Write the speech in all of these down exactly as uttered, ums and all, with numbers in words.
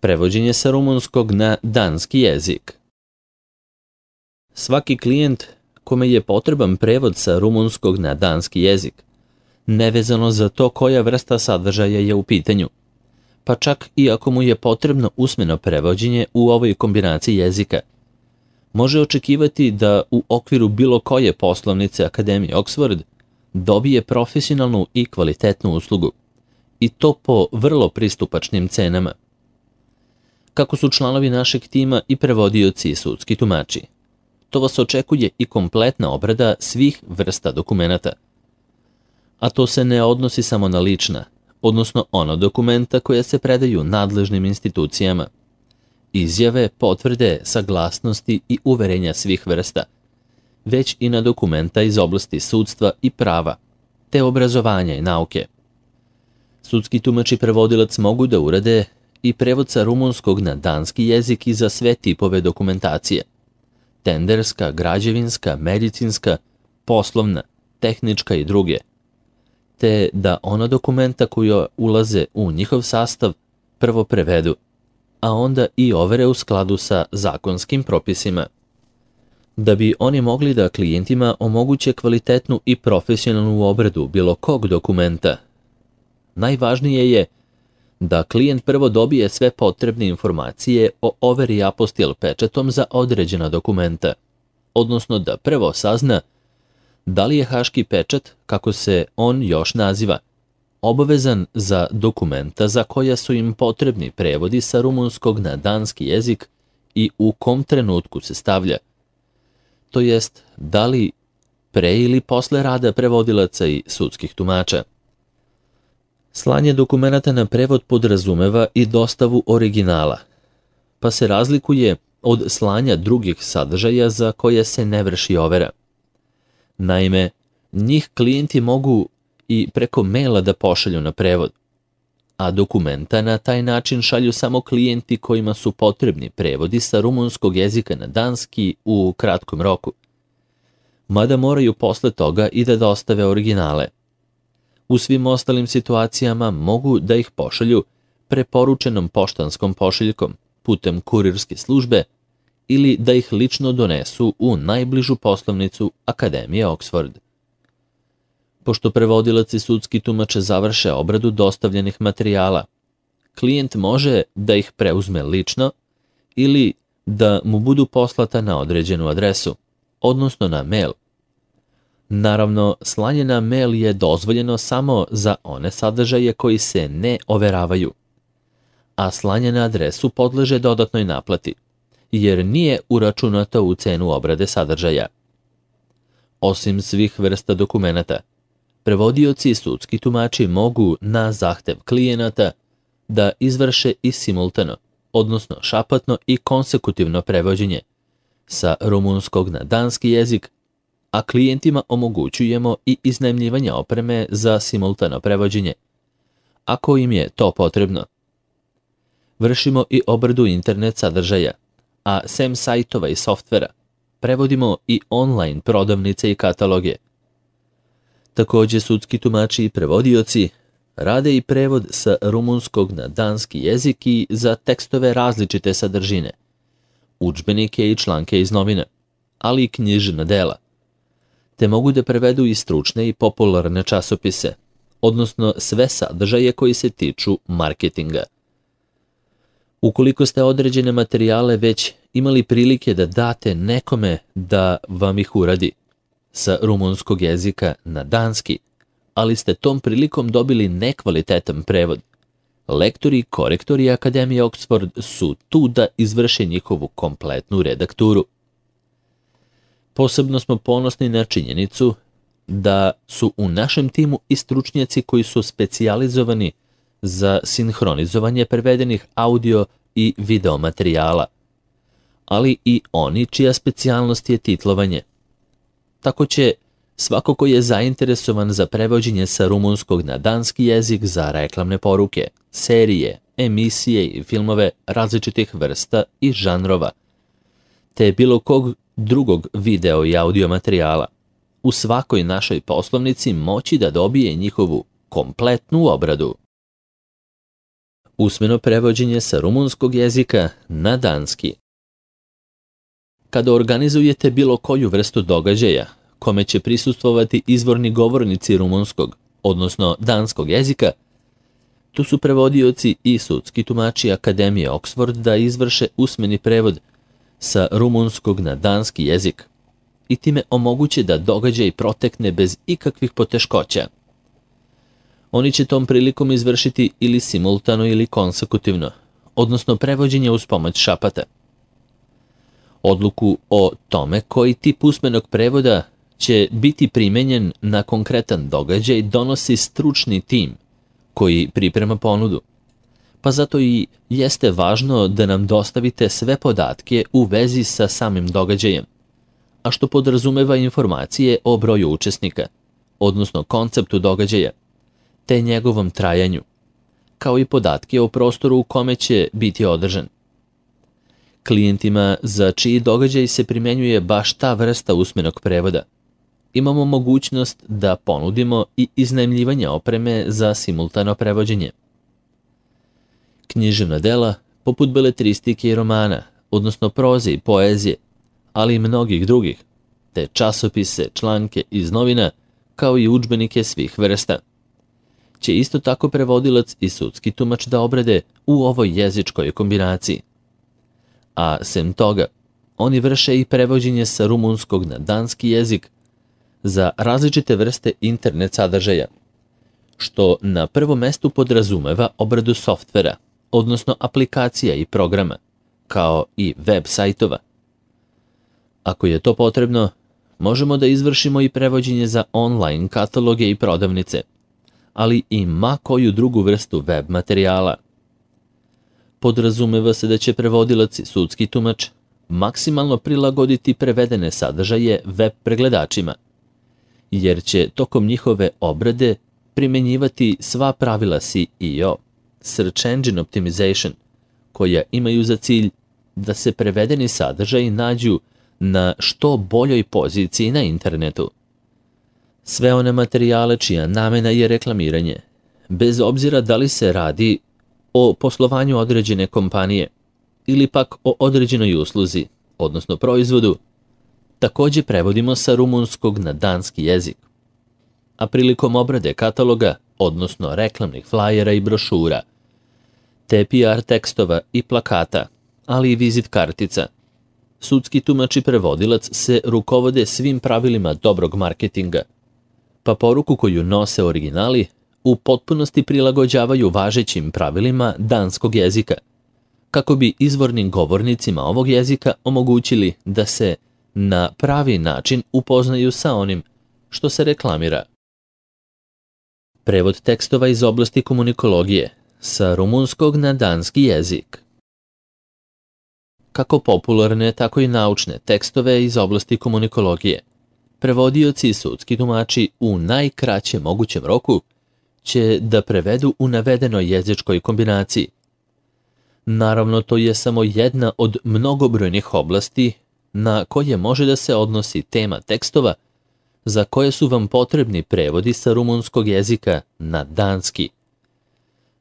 Prevođenje sa rumunskog na danski jezik. Svaki klijent kome je potreban prevod sa rumunskog na danski jezik, nevezano za to koja vrsta sadržaja je u pitanju, pa čak i ako mu je potrebno usmeno prevođenje u ovoj kombinaciji jezika, može očekivati da u okviru bilo koje poslovnice Akademije Oxford dobije profesionalnu i kvalitetnu uslugu, i to po vrlo pristupačnim cenama. Kako su članovi našeg tima i prevodioci i sudski tumači, to vas očekuje i kompletna obrada svih vrsta dokumenata. A to se ne odnosi samo na lična, odnosno ona dokumenta koja se predaju nadležnim institucijama, izjave, potvrde, saglasnosti i uverenja svih vrsta, već i na dokumenta iz oblasti sudstva i prava, te obrazovanja i nauke. Sudski tumač i prevodilac mogu da urade i prevod sa rumunskog na danski jezik i za sve tipove dokumentacije: tenderska, građevinska, medicinska, poslovna, tehnička i druge, te da ona dokumenta koja ulaze u njihov sastav prvo prevedu, a onda i overe u skladu sa zakonskim propisima. Da bi oni mogli da klijentima omoguće kvalitetnu i profesionalnu obradu bilo kog dokumenta, najvažnije je da klijent prvo dobije sve potrebne informacije o overi apostil pečatom za određena dokumenta, odnosno da prvo sazna da li je haški pečat, kako se on još naziva, obavezan za dokumenta za koja su im potrebni prevodi sa rumunskog na danski jezik i u kom trenutku se stavlja, to jest da li pre ili posle rada prevodilaca i sudskih tumača. Slanje dokumenata na prevod podrazumeva i dostavu originala, pa se razlikuje od slanja drugih sadržaja za koje se ne vrši overa. Naime, njih klijenti mogu i preko maila da pošalju na prevod, a dokumenta na taj način šalju samo klijenti kojima su potrebni prevodi sa rumunskog jezika na danski u kratkom roku, mada moraju posle toga i da dostave originale. U svim ostalim situacijama mogu da ih pošalju preporučenom poštanskom pošiljkom putem kurirske službe ili da ih lično donesu u najbližu poslovnicu Akademije Oxford. Pošto prevodilac i sudski tumač završe obradu dostavljenih materijala, klijent može da ih preuzme lično ili da mu budu poslata na određenu adresu, odnosno na mail. Naravno, slanje na mail je dozvoljeno samo za one sadržaje koji se ne overavaju, a slanje na adresu podleže dodatnoj naplati, jer nije uračunato u cenu obrade sadržaja. Osim svih vrsta dokumenata, prevodioci i sudski tumači mogu na zahtev klijenata da izvrše i simultano, odnosno šapatno i konsekutivno prevođenje sa rumunskog na danski jezik, a klijentima omogućujemo i iznajmljivanje opreme za simultano prevođenje, ako im je to potrebno. Vršimo i obradu internet sadržaja, a sem sajtova i softvera, prevodimo i online prodavnice i kataloge. Takođe, sudski tumači i prevodioci rade i prevod sa rumunskog na danski jezik i za tekstove različite sadržine, udžbenike i članke iz novina, ali i knjižna dela, te mogu da prevedu i stručne i popularne časopise, odnosno sve sadržaje koji se tiču marketinga. Ukoliko ste određene materijale već imali prilike da date nekome da vam ih uradi sa rumunskog jezika na danski, ali ste tom prilikom dobili nekvalitetan prevod, lektori i korektori Akademije Oxford su tu da izvrše njihovu kompletnu redakturu. Posebno smo ponosni na činjenicu da su u našem timu i stručnjaci koji su specijalizovani za sinhronizovanje prevedenih audio i video materijala, ali i oni čija specijalnost je titlovanje. Tako će svako ko je zainteresovan za prevođenje sa rumunskog na danski jezik za reklamne poruke, serije, emisije i filmove različitih vrsta i žanrova, te bilo kog drugog video i audio materijala, u svakoj našoj poslovnici moći da dobije njihovu kompletnu obradu. Usmeno prevođenje sa rumunskog jezika na danski. Kada organizujete bilo koju vrstu događaja, kome će prisustvovati izvorni govornici rumunskog, odnosno danskog jezika, tu su prevodioci i sudski tumači Akademije Oxford da izvrše usmeni prevod sa rumunskog na danski jezik i time omoguće da događaj protekne bez ikakvih poteškoća. Oni će tom prilikom izvršiti ili simultano ili konsekutivno, odnosno prevođenje uz pomoć šapata. Odluku o tome koji tip usmenog prevoda će biti primenjen na konkretan događaj donosi stručni tim koji priprema ponudu, pa zato i jeste važno da nam dostavite sve podatke u vezi sa samim događajem, a što podrazumeva informacije o broju učesnika, odnosno konceptu događaja, te njegovom trajanju, kao i podatke o prostoru u kome će biti održan. Klijentima za čiji događaj se primenjuje baš ta vrsta usmenog prevoda, imamo mogućnost da ponudimo i iznajmljivanje opreme za simultano prevođenje. Književna dela, poput beletristike i romana, odnosno proze i poezije, ali i mnogih drugih, te časopise, članke iz novina, kao i udžbenike svih vrsta, će isto tako prevodilac i sudski tumač da obrade u ovoj jezičkoj kombinaciji. A sem toga, oni vrše i prevođenje sa rumunskog na danski jezik za različite vrste internet sadržaja, što na prvom mestu podrazumeva obradu softvera, odnosno aplikacija i programa, kao i web sajtova. Ako je to potrebno, možemo da izvršimo i prevođenje za online kataloge i prodavnice, ali i ma koju drugu vrstu web materijala. Podrazumeva se da će prevodilac i sudski tumač maksimalno prilagoditi prevedene sadržaje web pregledačima, jer će tokom njihove obrade primenjivati sva pravila S E O, Search Engine Optimization, koja imaju za cilj da se prevedeni sadržaji nađu na što boljoj poziciji na internetu. Sve one materijale čija namena je reklamiranje, bez obzira da li se radi o poslovanju određene kompanije ili pak o određenoj usluzi, odnosno proizvodu, također prevodimo sa rumunskog na danski jezik. A prilikom obrade kataloga, odnosno reklamnih flajera i brošura, te P R tekstova i plakata, ali i vizit kartica, sudski tumač i prevodilac se rukovode svim pravilima dobrog marketinga, pa poruku koju nose originali u potpunosti prilagođavaju važećim pravilima danskog jezika, kako bi izvornim govornicima ovog jezika omogućili da se na pravi način upoznaju sa onim što se reklamira. Prevod tekstova iz oblasti komunikologije sa rumunskog na danski jezik. Kako popularne, tako i naučne tekstove iz oblasti komunikologije, prevodioci i sudski tumači u najkraćem mogućem roku će da prevedu u navedenoj jezičkoj kombinaciji. Naravno, to je samo jedna od mnogobrojnih oblasti na koje može da se odnosi tema tekstova za koje su vam potrebni prevodi sa rumunskog jezika na danski.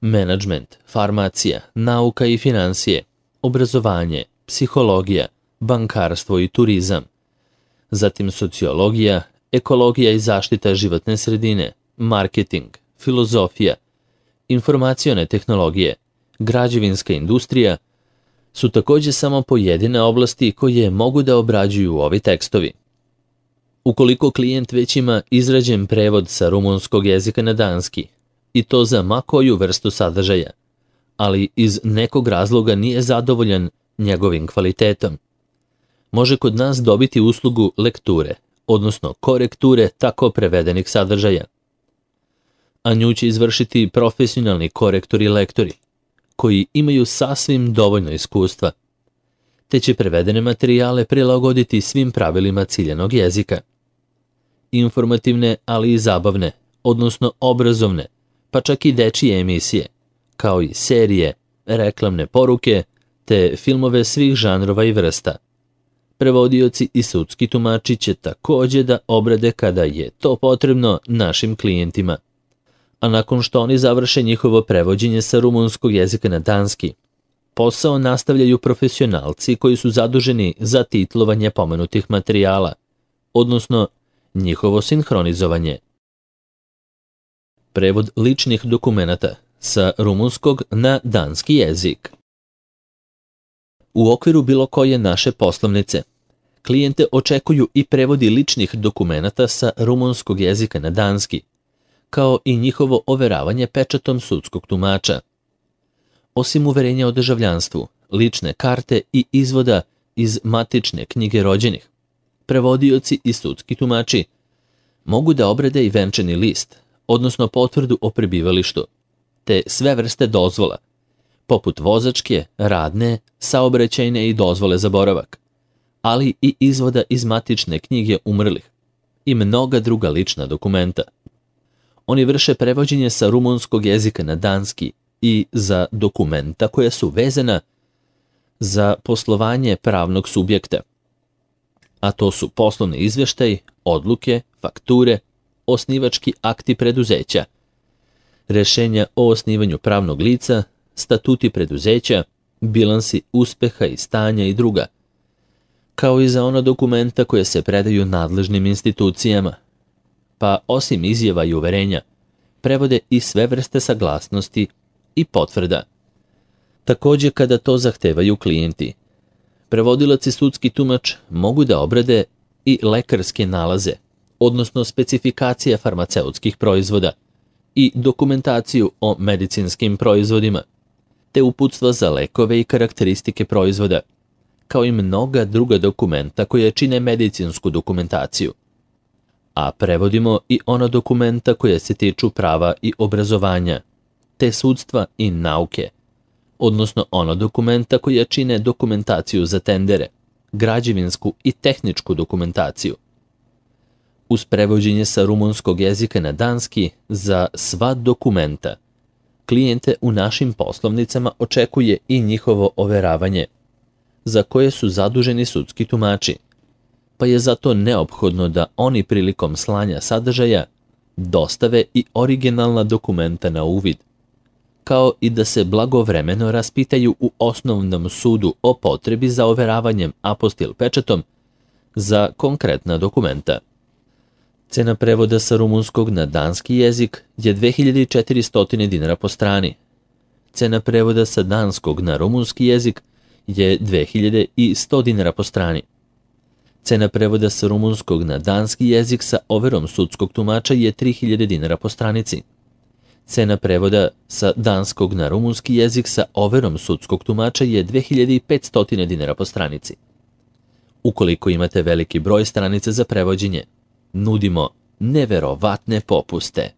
Menadžment, farmacija, nauka i financije, obrazovanje, psihologija, bankarstvo i turizam, zatim sociologija, ekologija i zaštita životne sredine, marketing, filozofija, informacione tehnologije, građevinska industrija su također samo pojedine oblasti koje mogu da obrađuju ovi tekstovi. Ukoliko klijent već ima izrađen prevod sa rumunskog jezika na danski, i to za ma koju vrstu sadržaja, ali iz nekog razloga nije zadovoljan njegovim kvalitetom, može kod nas dobiti uslugu lekture, odnosno korekture tako prevedenih sadržaja. A nju će izvršiti profesionalni korektori i lektori, koji imaju sasvim dovoljno iskustva, te će prevedene materijale prilagoditi svim pravilima ciljanog jezika. Informativne, ali i zabavne, odnosno obrazovne, pa čak i dečije emisije, kao i serije, reklamne poruke, te filmove svih žanrova i vrsta. Prevodioci i sudski tumači će također da obrade kada je to potrebno našim klijentima. a nakon što oni završe njihovo prevođenje sa rumunskog jezika na danski, posao nastavljaju profesionalci koji su zaduženi za titlovanje pomenutih materijala, odnosno njihovo sinhronizovanje. Prevod ličnih dokumenata sa rumunskog na danski jezik. U okviru bilo koje naše poslovnice, klijente očekuju i prevodi ličnih dokumenata sa rumunskog jezika na danski, kao i njihovo overavanje pečatom sudskog tumača. Osim uverenja o državljanstvu, lične karte i izvoda iz matične knjige rođenih, prevodioci i sudski tumači mogu da obrade i venčani list, odnosno potvrdu o prebivalištu, te sve vrste dozvola, poput vozačke, radne, saobraćajne i dozvole za boravak, ali i izvoda iz matične knjige umrlih i mnoga druga lična dokumenta. Oni vrše prevođenje sa rumunskog jezika na danski i za dokumenta koja su vezana za poslovanje pravnog subjekta, a to su poslovni izveštaj, odluke, fakture, osnivački akti preduzeća, rešenja o osnivanju pravnog lica, statuti preduzeća, bilansi uspeha i stanja i druga, kao i za ona dokumenta koje se predaju nadležnim institucijama, pa osim izjava i uverenja, prevode i sve vrste saglasnosti i potvrda. Također kada to zahtevaju klijenti, prevodilac i sudski tumač mogu da obrade i lekarske nalaze, odnosno specifikacije farmaceutskih proizvoda i dokumentaciju o medicinskim proizvodima, te uputstva za lekove i karakteristike proizvoda, kao i mnoga druga dokumenta koje čine medicinsku dokumentaciju. A prevodimo i ona dokumenta koje se tiču prava i obrazovanja, te sudstva i nauke, odnosno ona dokumenta koje čine dokumentaciju za tendere, građevinsku i tehničku dokumentaciju. Uz prevođenje sa rumunskog jezika na danski za sva dokumenta, klijente u našim poslovnicama očekuje i njihovo overavanje, za koje su zaduženi sudski tumači, pa je zato neophodno da oni prilikom slanja sadržaja dostave i originalna dokumenta na uvid, kao i da se blagovremeno raspitaju u osnovnom sudu o potrebi za overavanjem apostil pečatom za konkretna dokumenta. Cena prevoda sa rumunskog na danski jezik je dve hiljade četiristo dinara po strani. Cena prevoda sa danskog na rumunski jezik je dve hiljade sto dinara po strani. Cena prevoda sa rumunskog na danski jezik sa overom sudskog tumača je tri hiljade dinara po stranici. Cena prevoda sa danskog na rumunski jezik sa overom sudskog tumača je dve hiljade petsto dinara po stranici. Ukoliko imate veliki broj stranica za prevođenje, nudimo neverovatne popuste.